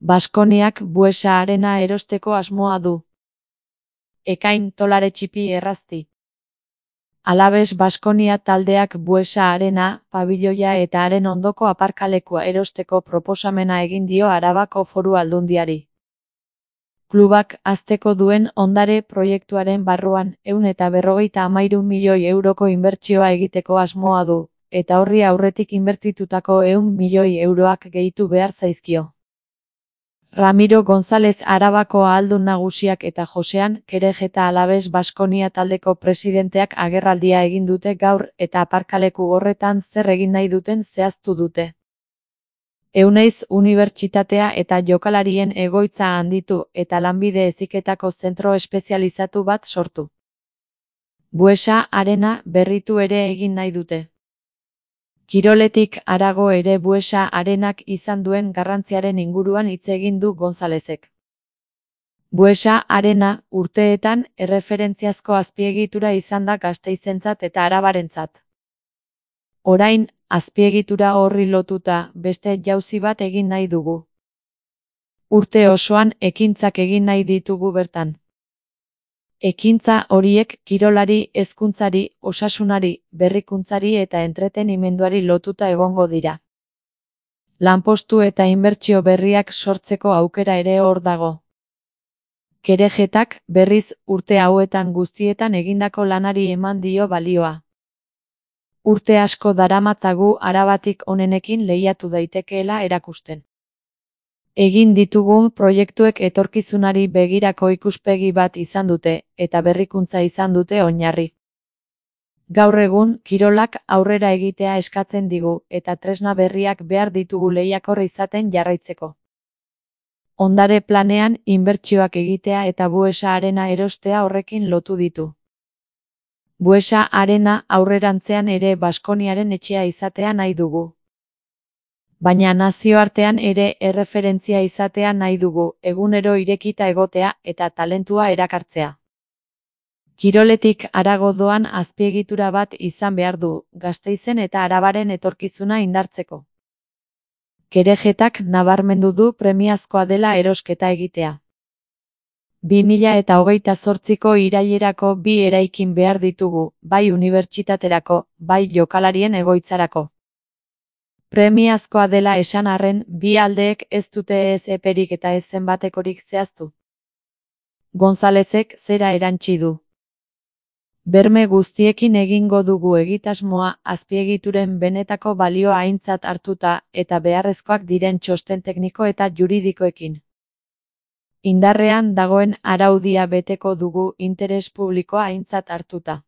Baskoniak Buesa Arena erosteko asmoa du. Ekain $10 txipi errazti. Alaves Baskonia taldeak Buesa Arena, pabiloia eta haren ondoko aparkalekua erosteko proposamena egin dio Arabako Foru Aldundiari. Klubak hazteko duen ondare proiektuaren barruan €153 milioi inbertsioa egiteko asmoa du, eta horri aurretik inbertitutako €100 milioiak gehitu behar zaizkio. Ramiro González Arabako ahaldun nagusiak eta Josean Kerejeta Alaves Baskonia taldeko presidenteak agerraldia egin dute gaur eta aparkaleku horretan zer egin nahi duten zehaztu dute. Euneiz Unibertsitatea eta jokalarien egoitza handitu eta lanbide heziketako zentro espezializatu bat sortu. Buesa Arena berritu ere egin nahi dute. Kiroletik harago ere Buesa Arenak izan duen garrantziaren inguruan hitz egin du Gonzalezek. Buesa Arena urteetan erreferentziazko azpiegitura izan da Gasteizentzat eta Arabarentzat. Orain, azpiegitura horri lotuta beste jauzi bat egin nahi dugu. Urte osoan ekintzak egin nahi ditugu bertan. Ekintza horiek kirolari, hezkuntzari, osasunari, berrikuntzari eta entretenimenduari lotuta egongo dira. Lanpostu eta inbertsio berriak sortzeko aukera ere hor dago. Kerejetak, berriz, urte hauetan guztietan egindako lanari eman dio balioa. Urte asko daramatzagu Arabatik onenekin lehiatu daitekeela erakusten. Egin ditugun proiektuek etorkizunari begirako ikuspegi bat izan dute, eta berrikuntza izan dute oinarri. Gaur egun, kirolak aurrera egitea eskatzen digu, eta tresna berriak behar ditugu lehiakor izaten jarraitzeko. Ondare planean, inbertsioak egitea eta Buesa Arena erostea horrekin lotu ditu. Buesa Arena aurrerantzean ere Baskoniaren etxea izatea nahi dugu. Baina nazioartean ere erreferentzia izatea nahi dugu, egunero irekita egotea eta talentua erakartzea. Kiroletik harago doan azpiegitura bat izan behar du, Gasteizen eta Arabaren etorkizuna indartzeko. Kerejetak nabarmendu du premiazkoa dela erosketa egitea. 2028ko irailerako 2 eraikin behar ditugu, bai unibertsitaterako, bai jokalarien egoitzarako. Premiazkoa dela esan arren, bi aldeek ez dute ez eperik eta ez zenbatekorik zehaztu. Gonzalezek zera erantsi du. Berme guztiekin egingo dugu egitasmoa azpiegituren benetako balioa aintzat hartuta eta beharrezkoak diren txosten tekniko eta juridikoekin. Indarrean dagoen araudia beteko dugu interes publikoa aintzat hartuta.